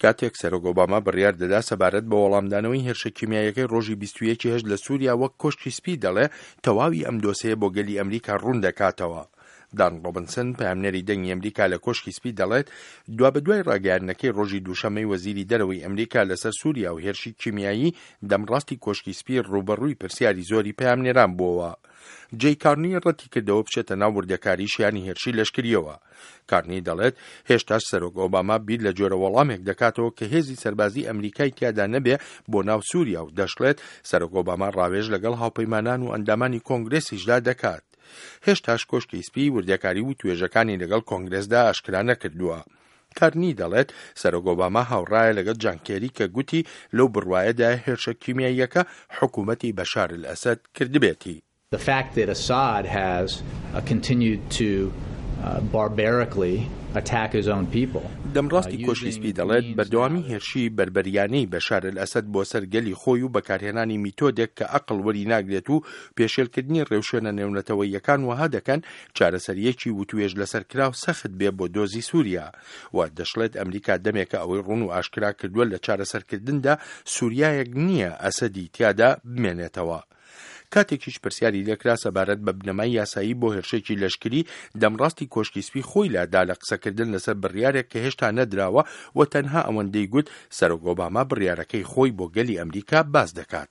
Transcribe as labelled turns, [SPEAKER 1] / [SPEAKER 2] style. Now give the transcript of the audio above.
[SPEAKER 1] کاتێک سەرۆک ئۆباما بڕیار دەدا سەبارەت بە وەڵامدانەوەی هێرشە کیمیاییەکەی ڕۆژی 21 هەشت لە سووریا، وەک کۆشکی سپی دەڵێ تەواوی ئەم دۆسێیە بۆ گەلی ئەمریکا ڕوون دەکاتەوە. دان ڕۆبنسن، پەیامنێری دەنگی ئەمریکا لە کۆشکی سپی دەڵێت، دوابەدوای ڕاگەیاندنەکەی ڕۆژی دووشەممەی وەزیری دەرەوەی ئەمریکا لەسەر سووریا و هێرشی کیمیایی، دەمڕاستی کۆشکی سپی ڕووبەڕووی پرسیاری زۆری پەیامنێران بووەوە. جەی کارنی ڕەتیکردەوە بچێتە ناو وردەکاری شیانی هێرشی لەشکرییەوە. کارنی دەڵێت، هێشتاش سەرۆک ئۆباما بیر لە جۆرە وەڵامێک دەکاتەوە کە هێزی سەربازی ئەمریکای تیادا نەبێ بۆ ناو سووریا و دەشڵێت، سەرۆک ئۆباما ڕاوێژ لەگەڵ هاوپەیمانان و ئەندامانی کۆنگرێسیشدا دەکات. هێشتاش کۆشکی سپی وردەکاری وتوێژەکانی لەگەڵ کۆنگرێسدا ئاشکرا نەکردووە. کارنی دەڵێت، سەرۆک ئۆباما هاوڕایە لەگەڵ جان کێری کە گوتی لەو بڕوایەدایە هێرشە کیمیاییەکە حکوومەتی بەشار ئەلئەسەد کردبێتی.
[SPEAKER 2] The fact that Assad has continued to barbarically attack his own people.
[SPEAKER 1] دەمڕاستی کۆشکی سپی دەڵێت، بەردەوامی هێرشی بەربەریانەی بەشار ئەلئەسەد بۆ سەر گەلی خۆی و بەکارهێنانی میتۆدێک کە ئەقڵ وەری ناگرێت و پێشێلکردنی ڕێوشوێنە نێونەتەوەییەکان وەها دەکەن چارەسەرییەکی وتوێژ لەسەرکراو سەخت بێ بۆ دۆزی سووریا و دەشڵێت ئەمریکا دەمێکە ئەوەی ڕوون و ئاشکرا کردووە لە چارەسەرکردندا سووریایەک نییە ئەسەدی تیادا بمێنێتەوە. کاتێکیش پرسیاری لێکرا سەبارەت بە بنەمای یاسایی بۆ هێرشێکی لەشکری، دەمڕاستی کۆشکی سپی خۆی لادا لە قسەکردن لەسەر بڕیارێک کە هێشتا نەدراوە و تەنها ئەوەندەی گوت سەرۆک ئۆباما بڕیارەکەی خۆی بۆ گەلی ئەمریکا باس دەکات.